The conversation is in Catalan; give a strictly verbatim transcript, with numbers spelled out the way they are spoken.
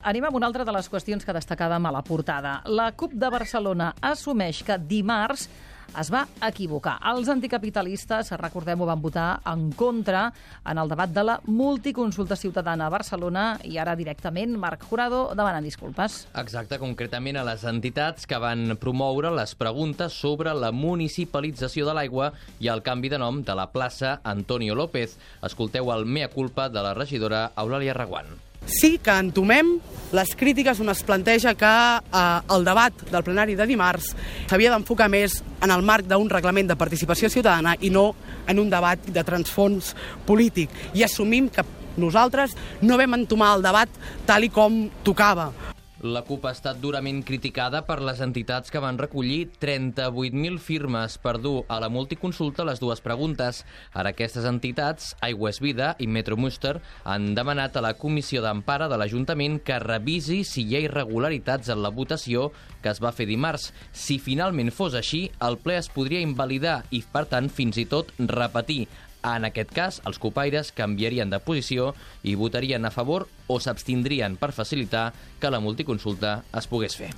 anem amb una altra de les qüestions que destacàvem a la portada. La CUP de Barcelona assumeix que dimarts es va equivocar. Els anticapitalistes, recordem-ho, van votar en contra en el debat de la multiconsulta ciutadana a Barcelona i ara directament Marc Jurado demanant disculpes. Exacte, concretament a les entitats que van promoure les preguntes sobre la municipalització de l'aigua i el canvi de nom de la plaça Antonio López. Escolteu el mea culpa de la regidora Eulàlia Reguant. Sí que entomem les crítiques on es planteja que eh, el debat del plenari de dimarts s'havia d'enfocar més en el marc d'un reglament de participació ciutadana i no en un debat de transfons polític. I assumim que nosaltres no vam entomar el debat tal i com tocava. La CUP ha estat durament criticada per les entitats que van recollir trenta-vuit mil firmes per dur a la multiconsulta les dues preguntes. Ara aquestes entitats, Aigua és Vida i Metromuster, han demanat a la Comissió d'Empara de l'Ajuntament que revisi si hi ha irregularitats en la votació que es va fer dimarts. Si finalment fos així, el ple es podria invalidar i, per tant, fins i tot repetir. En aquest cas, els cupaires canviarien de posició i votarien a favor o s'abstindrien per facilitar que la multiconsulta es pogués fer.